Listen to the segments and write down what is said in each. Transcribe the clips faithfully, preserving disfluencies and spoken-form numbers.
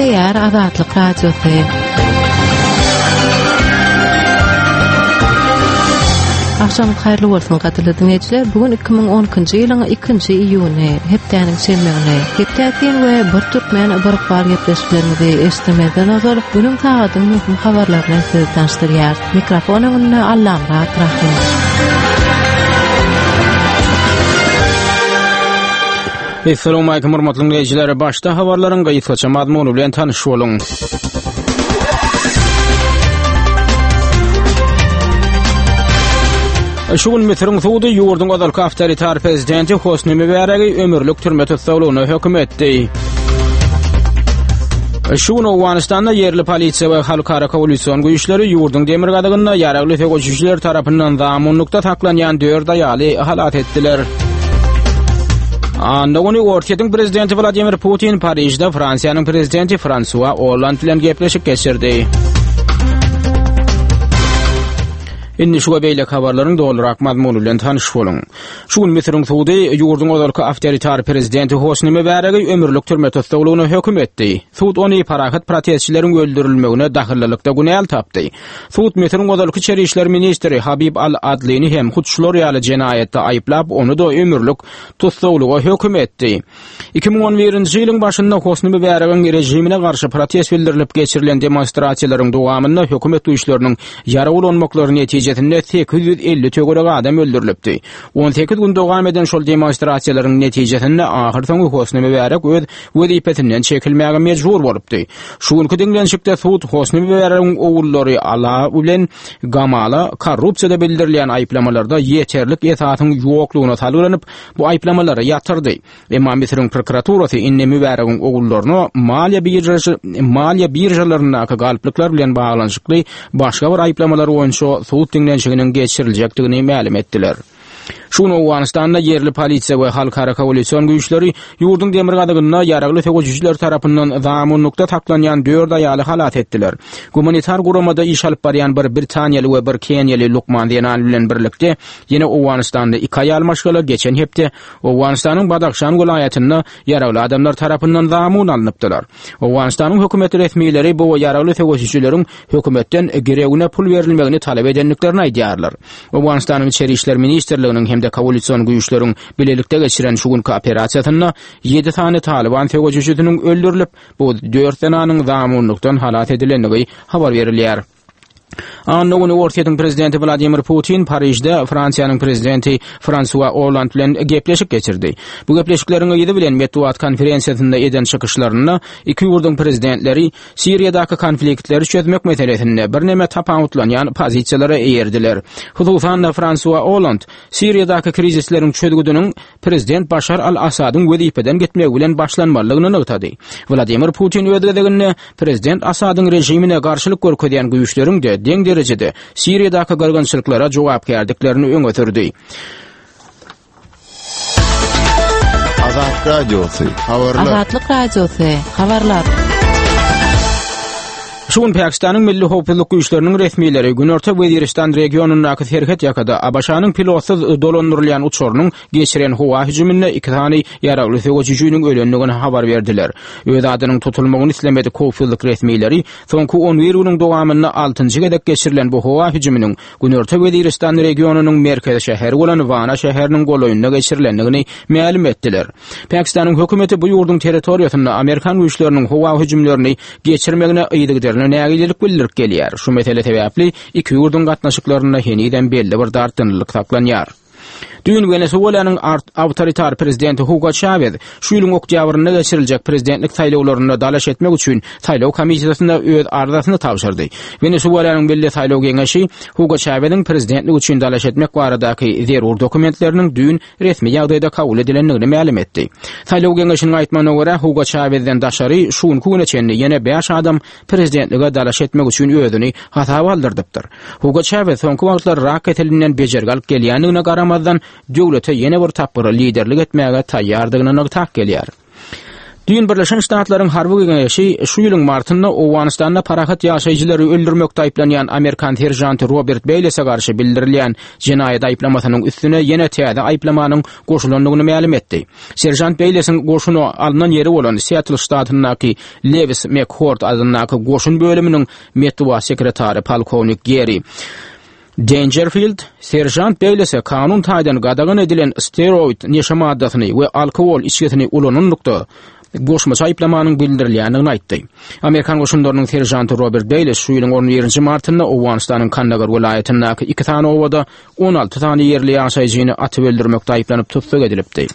Gepleýär Azatlyk Radiosy. Agşamyňyz haýyrly bolsun, gadyrly diňleýjiler. Bu gün iki müň on ikinji ýylyň ikinji iýuny, hepdäniň şenbe güni. Hepdäsin we bir türkmen bir ykbal gepleşiklerimizi eşitmezden ozal günüň sagadyň möhüm habarlaryny size tanyşdyrýar. Mikrofon öňünde Allamyrat Rahym. Assalamu alaykum hormatly dinleýjiler. Başda habarlaryň gysgaça mazmuny bilen tanyş boluň. Şu gün Müsüriň sudy ýurduň ozalky awtoritar prezidenti Hosni Mübaregi ömürlik türme tussaglygyna höküm etdi. Şu gün Owganystanda ýerli polisiýa we halkara koalision güýçleri ýurduň demirgazygynda ýaragly söweşijiler tarapyndan zamunlykda saklanýan dört aýaly halat etdiler. Anna güni Orsýetiň prezidenti Wladimir Putin Parižde Fransiýanyň prezidenti Fransua Olland bilen gepleşik geçirdi. Indi şu we beýleki habarlaryň dolurak mazmuny bilen tanyş boluň. Şu gün Müsüriň sudy ýurduň ozalky awtoritar prezidenti Hosni Mübaregi ömürlik türme tussaglygyna höküm etdi. Sud ony parahat protestçileriň öldürilmegine dahyllylykda günäli tapdy. Sud Müsüriň ozalky içeri işler ministri Habib Al-Adlini hem hut şular ýaly jenaýatda aýyplap, ony da ömürlik tussaglyga höküm etdi. Iki müň on birinji ýylyň başynda Hosni Mübaregiň rejimine garşy protest bildirilip geçirilen demonstrasiýalaryň dowamynda hökümet güýçleriniň ýarag ulanmaklary netijesinde sekiz ýüz elli töwerek adam öldürilipdi. On sekiz gün dowam eden şol demonstrasiýalaryň netijesinde ahyrsoňy Hosni Mübarek öz wezipesinden çekilmäge mejbur bolupdy. Şu günki diňlenişikde sud Hosni Mübaregiň ogullary Ala bilen Gamala korrupsiýada bildirilýän aýyplamalarda ýeterlik esasyň ýoklugyna salgylanyp, bu aýyplamalary ýatyrdy. Emma Müsüriň prokuraturasy indi Mübaregiň ogullaryna maliýe biržasy, maliýe biržalaryndaky galplyklar bilen baglanyşykly başga bir aýyplamalar boýunça sud diňlenişiginiň geçiriljekdigini mälim etdiler. Şu gün Owganystanda ýerli polisiýa we halkara koalision güýçleri ýurduň demirgazygynda ýaragly söweşijiler tarapyndan zamunlykda saklanýan dört aýaly halat etdiler. Gumanitar guramada iş alyp barýan bir Britaniýaly we bir Keniýaly lukman zenan bilen birlikde ýene Owganystanda iki aýal maşgala geçen hepde Owganystanyň Badahşan welaýatynda ýaragly adamlar tarapyndan zamun alnypdylar. Owganystanyň hökümet resmileri bu ýaragly söweşijileriň hökümetden girewine pul berilmegini talap edendiklerini aýdýarlar. Owganystanyň İçeri İşler Ministrliginiň hem-de koalision güýçleriň bilelikde geçiren şu günki operasiýasynda ýedi sany Taliban söweşijisiniň öldürilip, bu dört zenanyň zamunlykdan halat edilendigi habar berilýär. Anna güni Orsýetiň prezidenti Wladimir Putin Parižde Fransiýanyň prezidenti Fransua Olland bilen gepleşik geçirdi. Bu gepleşikleriň yzy bilen metbugat konferensiýasynda eden çykyşlarynda iki ýurduň prezidentleri Siriýadaky konfliktleri çözmek meselesinde birneme tapawutlanýan pozisiýalara eýerdiler. Hususan-da Fransua Olland Siriýadaky krizisleriň çözgüdiniň prezident Başar al-Asadyň wezipeden gitmegi bilen başlanmalydygyny nygtady. Wladimir Putin öz gezeginde prezident Asadyň rejimine garşylyk görkezýän güýçleriň de deň derejede Siriýadaky gyrgynçylyklara jogapkärdiklerini öňe sürdi. Azat Radiosy, habarlar. Azatlyk Radiosy, habarlar. Şu gün Pakistanyň Milli Howpsuzlyk güýçleriniň resmileri Günorta Weziristan regionyndaky serhet ýakada A B Ş-nyň pilotsyz dolandyrylýan uçarynyň geçiren howa hüjüminde iki sany ýaragly söweşijiniň ölendigini habar berdiler. Öz adynyň tutulmagyny islemedik howpsuzlyk resmileri soňky on bir günüň dowamynda altynjy gezek geçirilen bu howa hüjüminiň Günorta Weziristan regionynyň merkezi şäheri bolan Wana şäheriniň golaýynda geçirilendigini mälim etdiler. Pakistanyň hökümeti bu ýurduň territoriýasynda Amerikan güýçleriniň howa hüjümlerini geçirmegine yzygiderli nägilelik bildirip gelýär. Şu mesele sebäpli iki ýurduň gatnaşyklarynda henizem belli bir dartgynlyk saklanýar. Düýn Wenesuelanyň awtoritar prezidenti Hugo Chavez şu ýylyň oktýabrynda geçiriljek prezidentlik saýlawlarynda dalaş etmek üçin saýlaw komissiýasynda öz arzasyny tabşyrdy. Wenesuelanyň Milli Saýlaw Geňeşi Hugo Chaveziň prezidentlik üçin dalaş etmek baradaky zerur dokumentleriniň düýn resmi ýagdaýda kabul edilendigini mälim etdi. Saýlaw Geňeşiniň aýtmagyna görä Hugo Chavezden daşary şu günki güne çenli ýene bäş adam prezidentlige dalaş etmek üçin özüni hasaba aldyrdypdyr. Hugo Chavez soňky wagtlar rak keselinden bejergi alyp gelýändigine garamazdan döwlete ýene bir tapgyr liderlik etmäge taýýardygyny nygtap gelýär. Düýn Birleşen Ştatlaryň harby geňeşi şu ýylyň martynda Owganystanda parahat ýaşaýjylary öldürmekde aýyplanýan Amerikan serjanty Robert Beýlese garşy bildirilýän jenaýat aýyplamasynyň üstüne ýene täze aýyplamanyň goşulandygyny mälim etdi. Serjant Beýlesiň goşuna alnan ýeri bolan Seattle ştatyndaky Lewis McChord adyndaky goşun bölüminiň metbugat sekretary polkownik Gary Dangerfield, serjant Beýlese kanun taýdan gadagan edilen steroid neşe maddasyny we alkogol içgisini ulananlykda goşmaça aýyplamanyň bildirilýändigini aýtdy. Amerikan goşunlarynyň serjanty Robert Beýles şu ýylyň on birinji martynda Owganystanyň Kandagar welaýatyndaky iki sany obada on alty sany ýerli ýaşaýjyny atyp öldürmekde aýyplanyp tussag edilipdi.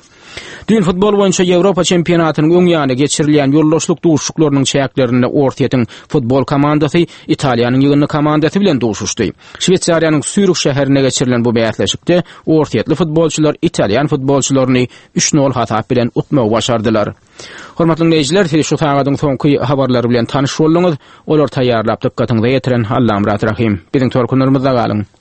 Düýn futbol boýunça Ýewropa çempionatynyň öň ýany geçirilýän ýoldaşlyk duşuşyklarynyň çäklerinde Orsýetiň futbol komandasy Italiýanyň ýygyndy komandasy bilen duşuşdy. Şweýsariýanyň Sýurih şäherinde geçirilen bu bäsleşikde Orsýetli futbolçylar Italýan futbolçylaryny üç nol hasap bilen utmagy başardylar. Hormatly dinleýjiler, siz şu sagadyň soňky habarlary bilen tanyş bolduňyz. Olar taýýarlap dykgatyňyza ýetiren Allamyrat Rahim. Biziň tolkunlarymyzda galyň.